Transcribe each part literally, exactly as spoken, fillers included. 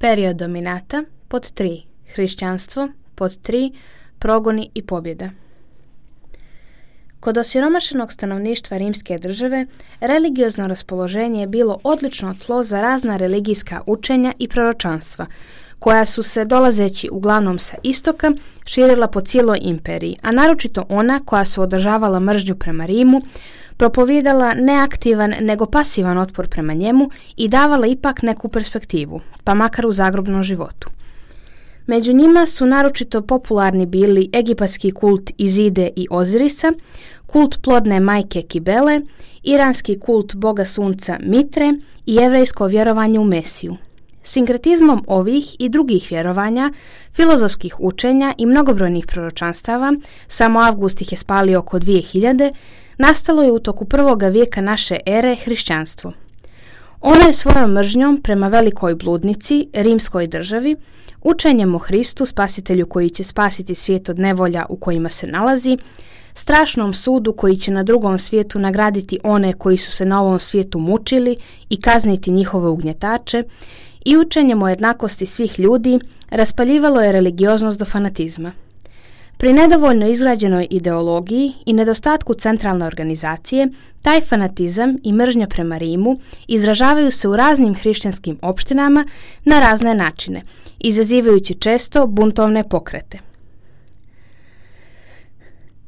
Period dominata, pod tri. Hrišćanstvo, pod tri. Progoni i pobjeda. Kod osiromašenog stanovništva rimske države, religiozno raspoloženje je bilo odlično tlo za razna religijska učenja i proročanstva, koja su se, dolazeći uglavnom sa istoka, širila po cijeloj imperiji, a naročito ona koja su održavala mržnju prema Rimu, propovijedala neaktivan nego pasivan otpor prema njemu i davala ipak neku perspektivu, pa makar u zagrobnom životu. Među njima su naročito popularni bili egipatski kult Izide i Ozirisa, kult plodne majke Kibele, iranski kult boga sunca Mitre i jevrejsko vjerovanje u Mesiju. Sinkretizmom ovih i drugih vjerovanja, filozofskih učenja i mnogobrojnih proročanstava, samo Avgust ih je spalio oko dvije hiljade, nastalo je u toku prvoga vijeka naše ere hrišćanstvo. Ono je svojom mržnjom prema velikoj bludnici, rimskoj državi, učenjem o Hristu, spasitelju koji će spasiti svijet od nevolja u kojima se nalazi, strašnom sudu koji će na drugom svijetu nagraditi one koji su se na ovom svijetu mučili i kazniti njihove ugnjetače, i učenjem o jednakosti svih ljudi raspaljivalo je religioznost do fanatizma. Pri nedovoljno izgrađenoj ideologiji i nedostatku centralne organizacije, taj fanatizam i mržnja prema Rimu izražavaju se u raznim hrišćanskim opštinama na razne načine, izazivajući često buntovne pokrete.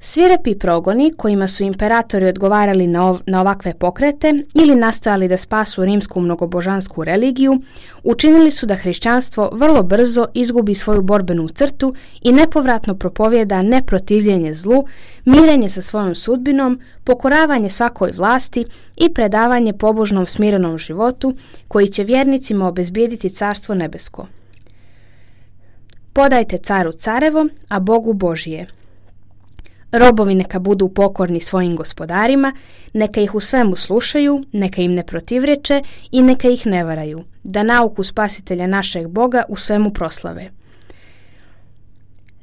Svirepi progoni kojima su imperatori odgovarali na, ov- na ovakve pokrete ili nastojali da spasu rimsku mnogobožansku religiju, učinili su da hrišćanstvo vrlo brzo izgubi svoju borbenu crtu i nepovratno propovjeda neprotivljenje zlu, mirenje sa svojom sudbinom, pokoravanje svakoj vlasti i predavanje pobožnom smirenom životu koji će vjernicima obezbijediti carstvo nebesko. Podajte caru carevo, a Bogu Božije. Robovi neka budu pokorni svojim gospodarima, neka ih u svemu slušaju, neka im ne protivreče i neka ih ne varaju, da nauku spasitelja našeg Boga u svemu proslave.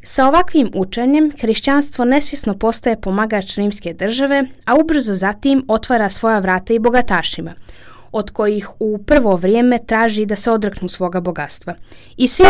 Sa ovakvim učenjem, hrišćanstvo nesvjesno postaje pomagač rimske države, a ubrzo zatim otvara svoja vrata i bogatašima, od kojih u prvo vrijeme traži da se odreknu svoga bogatstva. I svi